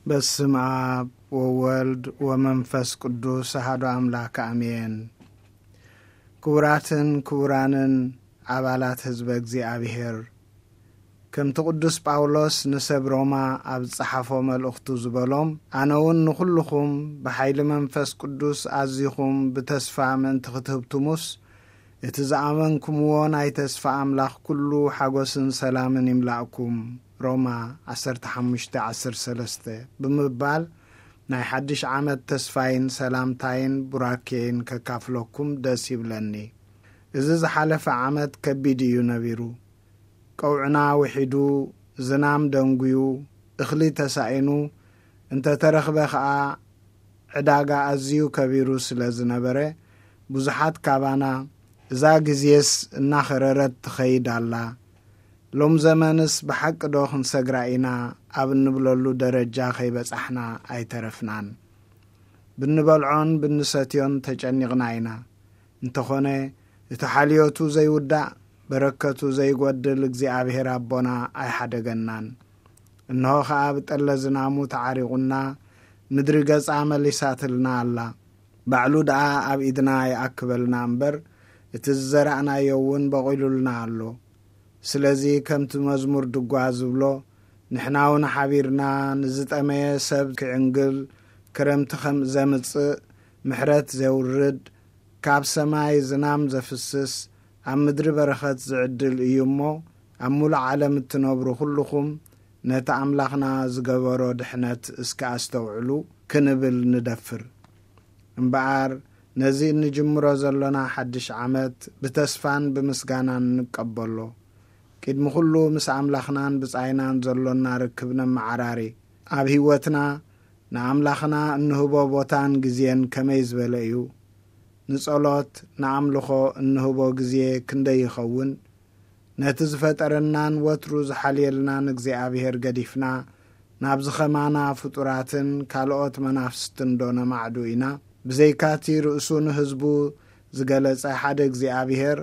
በስም ኣብ ወወልድ ወመንፈስ ቅዱስ ኣሃዱ ኣምላክ ኣሜን። ክቡራትን ክቡራንን ኣባላት ህዝበ እግዚኣብሔር፣ ከምቲ ቅዱስ ጳውሎስ ንሰብ ሮማ ኣብ ዝጸሓፎ መልእኽቱ ዝበሎም፣ ኣነ እውን ንኹልኹም ብሓይሊ መንፈስ ቅዱስ ኣዚኹም ብተስፋ ምእንቲ ክትህብትሙስ፣ እቲ ዝኣመንኩምዎ ናይ ተስፋ ኣምላኽ ኩሉ ሓጎስን ሰላምን ይምላእኩም። ሮማ ዓሰርተ ሓሙሽተ ዓሰርተ ሰለስተ ብምባል ናይ ሓድሽ ዓመት ተስፋይን ሰላምታይን ቡራኬይን ከካፍለኩም ደስ ይብለኒ። እዚ ዝሓለፈ ዓመት ከቢድ እዩ ነቢሩ። ቀውዕና ውሒዱ፣ ዝናም ደንጉዩ፣ እኽሊ ተሳኢኑ፣ እንተተረኽበ ኸኣ ዕዳጋ ኣዝዩ ከቢሩ ስለ ዝነበረ፣ ብዙሓት ካባና፣ "እዛ ግዜስ እናኸረረት ትኸይድ ኣላ፣ ሎም ዘመንስ ብሓቂ ዶ ክንሰግራ ኢና?" ኣብ እንብለሉ ደረጃ ከይበጻሕና ኣይተረፍናን። ብንበልዖን ብንሰትዮን ተጨኒቕና ኢና። እንተኾነ፣ እቲ ሓልዮቱ ዘይውዳእ፣ በረከቱ ዘይጎድል እግዚኣብሔር ኣቦና ኣይሓደገናን። እንሆ ኸኣ ብጠለ ዝናሙ ተዓሪቑና፣ ምድሪ ገጻ መሊሳትልና ኣላ። ባዕሉ ደኣ ኣብ ኢድና ይኣክበልና እምበር፣ እቲ ዝዘራእናዮ እውን በቒሉልና ኣሎ። ስለዚ ከምቲ መዝሙር ድጓ ዝብሎ፣ ንሕና እውን ሓቢርና ንዝጠመየ ሰብ ክዕንግል፣ ክረምቲ ከም ዘምጽእ፣ ምሕረት ዘውርድ፣ ካብ ሰማይ ዝናም ዘፍስስ፣ ኣብ ምድሪ በረኸት ዝዕድል እዩ እሞ፣ ኣብ ሙሉእ ዓለም እትነብሩ ኩልኹም ነቲ ኣምላኽና ዝገበሮ ድሕነት እስከ ኣስተውዕሉ ክንብል ንደፍር። እምበኣር ነዚ እንጅምሮ ዘሎና ሓድሽ ዓመት ብተስፋን ብምስጋናን ንቀበሎ። ቅድሚ ኩሉ ምስ ኣምላኽናን ብጻይናን ዘሎና ርክብ ነመዓራሪ። ኣብ ህይወትና ንኣምላኽና እንህቦ ቦታን ግዜን ከመይ ዝበለ እዩ? ንጸሎት፣ ንኣምልኾ እንህቦ ግዜ ክንደይ ይኸውን? ነቲ ዝፈጠረናን ወትሩ ዝሓልየልናን እግዚኣብሔር ገዲፍና፣ ናብዚ ኸማና ፍጡራትን ካልኦት መናፍስትን ዶ ነማዕዱ ኢና? ብዘይካቲ ርእሱ ንህዝቡ ዝገለጸ ሓደ እግዚኣብሔር፣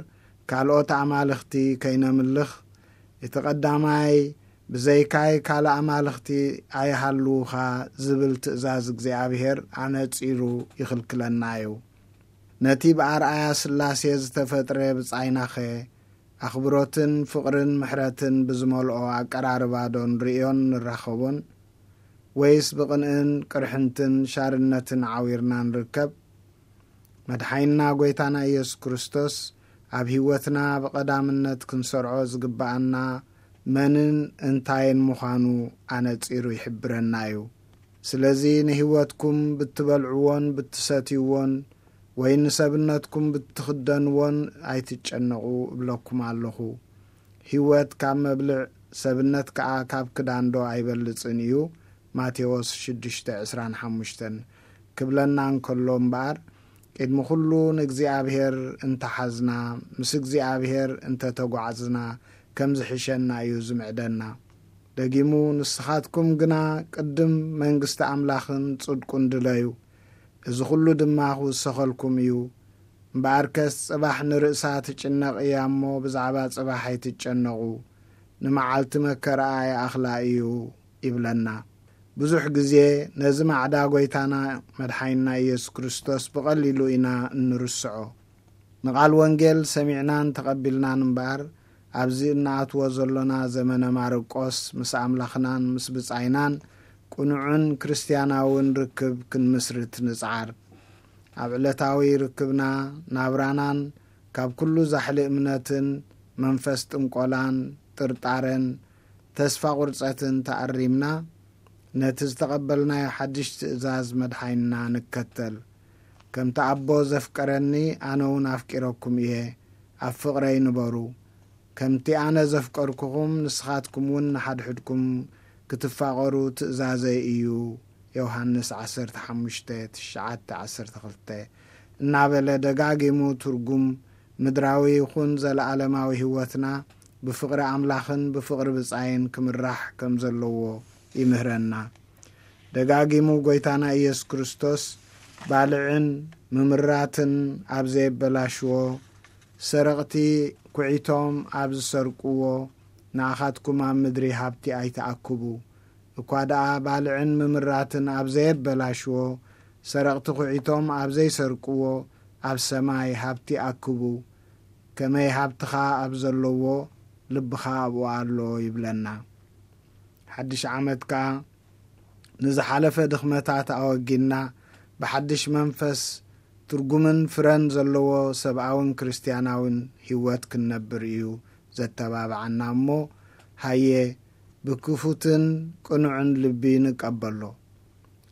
ካልኦት ኣማልኽቲ ከይነምልኽ፣ እቲ ቀዳማይ፣ "ብዘይካይ ካልእ ኣማልኽቲ ኣይሃልዉኻ" ዝብል ትእዛዝ እግዚኣብሔር ኣነጺሩ ይኽልክለና እዩ። ነቲ ብኣርኣያ ስላሴ ዝተፈጥረ ብጻይናኸ፣ ኣኽብሮትን ፍቕርን ምሕረትን ብዝመልኦ ኣቀራርባ ዶ ንርእዮን ንራኸቦን? ወይስ ብቕንእን ቅርሕንትን ሻርነትን ዓዊርና ንርከብ? መድሓይና ጐይታና ኢየሱስ ክርስቶስ ኣብ ህይወትና ብቐዳምነት ክንሰርዖ ዝግብኣና መንን እንታይን ምዃኑ ኣነጺሩ ይሕብረና እዩ። ስለዚ ንህይወትኩም ብትበልዕዎን ብትሰትይዎን ወይ ንሰብነትኩም ብትኽደንዎን ኣይትጨነቑ እብለኩም ኣለኹ። ህይወት ካብ መብልዕ፣ ሰብነት ከኣ ካብ ክዳን ዶ ኣይበልጽን እዩ? ማቴዎስ ሽዱሽተ ዕስራን ሓሙሽተን ክብለና እንከሎ እምበኣር፣ ቅድሚ ኩሉ ንእግዚኣብሔር እንተሓዝና፣ ምስ እግዚኣብሔር እንተተጓዕዝና ከም ዝሕሸና እዩ ዝምዕደና። ደጊሙ፣ "ንስኻትኩም ግና ቅድም መንግስቲ ኣምላኽን ጽድቁን ድለዩ፣ እዚ ኹሉ ድማ ክውሰኸልኩም እዩ። እምበኣርከስ ጽባሕ ንርእሳ ትጭነቕ እያ እሞ፣ ብዛዕባ ጽባሕ ኣይትጨነቑ፣ ንመዓልቲ መከራኣ ይኣኽላ እዩ" ይብለና። ብዙሕ ግዜ ነዚ ማዕዳ ጐይታና መድሓይንና ኢየሱስ ክርስቶስ ብቐሊሉ ኢና እንርስዖ። ንቓል ወንጌል ሰሚዕናን ተቐቢልናን እምበኣር፣ ኣብዚ እንኣትዎ ዘሎና ዘመነ ማርቆስ ምስ ኣምላኽናን ምስ ብጻይናን ቅኑዕን ክርስትያናውን ርክብ ክንምስርት ንጽዓር። ኣብ ዕለታዊ ርክብና፣ ናብራናን ካብ ኩሉ ዛሕሊ እምነትን መንፈስ ጥንቆላን ጥርጣረን ተስፋ ቁርጸትን ተኣሪምና፣ ነቲ ዝተቐበልናዮ ሓድሽ ትእዛዝ መድሓይንና ንከተል። "ከምቲ ኣቦ ዘፍቀረኒ፣ ኣነ እውን ኣፍቂረኩም እየ፣ ኣብ ፍቕረይ ንበሩ። ከምቲ ኣነ ዘፍቀርኩኹም፣ ንስኻትኩም እውን ንሓድሕድኩም ክትፋቐሩ ትእዛዘይ እዩ።" ዮሃንስ ዓሰርተ ሓሙሽተ፣ ትሽዓተ፣ ዓሰርተ ክልተ እናበለ ደጋጊሙ ትርጉም ምድራዊ ይኹን ዘለኣለማዊ ህይወትና ብፍቕሪ ኣምላኽን ብፍቕሪ ብጻይን ክምራሕ ከም ዘለዎ ይምህረና። ደጋጊሙ ጐይታና ኢየሱስ ክርስቶስ፣ "ባልዕን ምምራትን ኣብ ዘየበላሽዎ፣ ሰረቕቲ ኩዒቶም ኣብ ዝሰርቅዎ፣ ንኣኻትኩም ኣብ ምድሪ ሃብቲ ኣይትኣክቡ፣ እኳ ደኣ ባልዕን ምምራትን ኣብ ዘየበላሽዎ፣ ሰረቕቲ ኹዒቶም ኣብ ዘይሰርቅዎ፣ ኣብ ሰማይ ሃብቲ ኣክቡ። ከመይ ሃብትኻ ኣብ ዘለዎ፣ ልብኻ ኣብኡ ኣሎ ይብለና። ሓድሽ ዓመት ከኣ ንዝሓለፈ ድኽመታት ኣወጊድና፣ ብሓድሽ መንፈስ ትርጉምን ፍረን ዘለዎ ሰብኣውን ክርስትያናውን ህይወት ክንነብር እዩ ዘተባብዓና እሞ፣ ሃየ ብክፉትን ቅኑዕን ልቢ ንቀበሎ።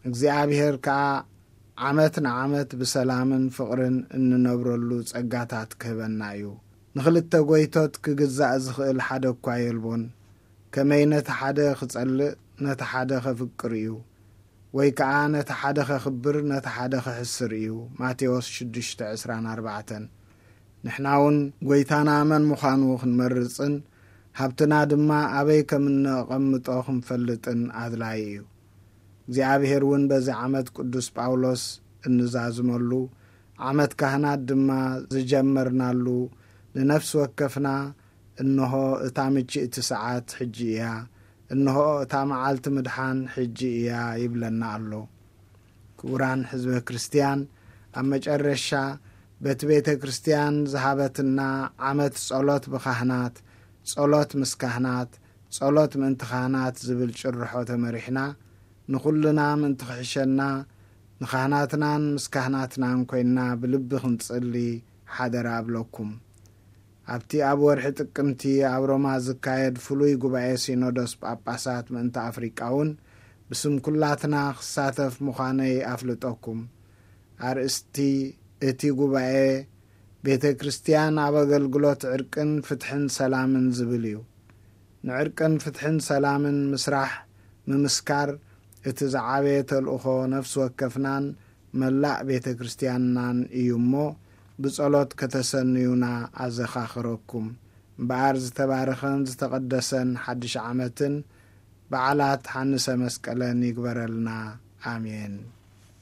እግዚኣብሔር ከኣ ዓመት ንዓመት ብሰላምን ፍቕርን እንነብረሉ ጸጋታት ክህበና እዩ። ንኽልተ ጎይቶት ክግዛእ ዝኽእል ሓደ እኳ የልቦን። ከመይ ነቲ ሓደ ክጸልእ ነቲ ሓደ ከፍቅር እዩ፣ ወይ ከኣ ነቲ ሓደ ከኽብር ነቲ ሓደ ክሕስር እዩ። ማቴዎስ ሽዱሽተ ዕስራን ኣርባዕተን። ንሕና እውን ጎይታና መን ምዃኑ ክንመርጽን ሃብትና ድማ ኣበይ ከም እነቐምጦ ክንፈልጥን ኣድላዪ እዩ። እግዚኣብሔር እውን በዚ ዓመት ቅዱስ ጳውሎስ እንዛዝመሉ ዓመት ካህናት ድማ ዝጀመርናሉ ንነፍሲ ወከፍና እንሆ እታ ምችእቲ ሰዓት ሕጂ እያ፣ እንሆ እታ መዓልቲ ምድሓን ሕጂ እያ ይብለና ኣሎ። ክቡራን ሕዝበ ክርስትያን፣ ኣብ መጨረሻ በቲ ቤተ ክርስትያን ዝሃበትና ዓመት ጸሎት ብካህናት፣ ጸሎት ምስ ካህናት፣ ጸሎት ምእንቲ ካህናት ዝብል ጭርሖ ተመሪሕና፣ ንኹልና ምእንቲ ክሕሸና ንኻህናትናን ምስ ካህናትናን ኮይንና ብልቢ ክንጽሊ ሓደራ እብለኩም። ኣብቲ ኣብ ወርሒ ጥቅምቲ ኣብ ሮማ ዝካየድ ፍሉይ ጉባኤ ሲኖዶስ ጳጳሳት ምእንቲ ኣፍሪቃ እውን ብስም ኩላትና ክሳተፍ ምዃነይ ኣፍልጠኩም። ኣርእስቲ እቲ ጉባኤ ቤተ ክርስትያን ኣብ ኣገልግሎት ዕርቅን ፍትሕን ሰላምን ዝብል እዩ። ንዕርቅን ፍትሕን ሰላምን ምስራሕ ምምስካር እቲ ዝዓበየ ተልእኾ ነፍሲ ወከፍናን መላእ ቤተ ክርስትያንናን እዩ እሞ ብጸሎት ከተሰንዩና ኣዘኻኽረኩም። እምበኣር ዝተባረኸን ዝተቐደሰን ሓድሽ ዓመትን በዓላት ሓንሰ መስቀለን ይግበረልና። ኣሜን።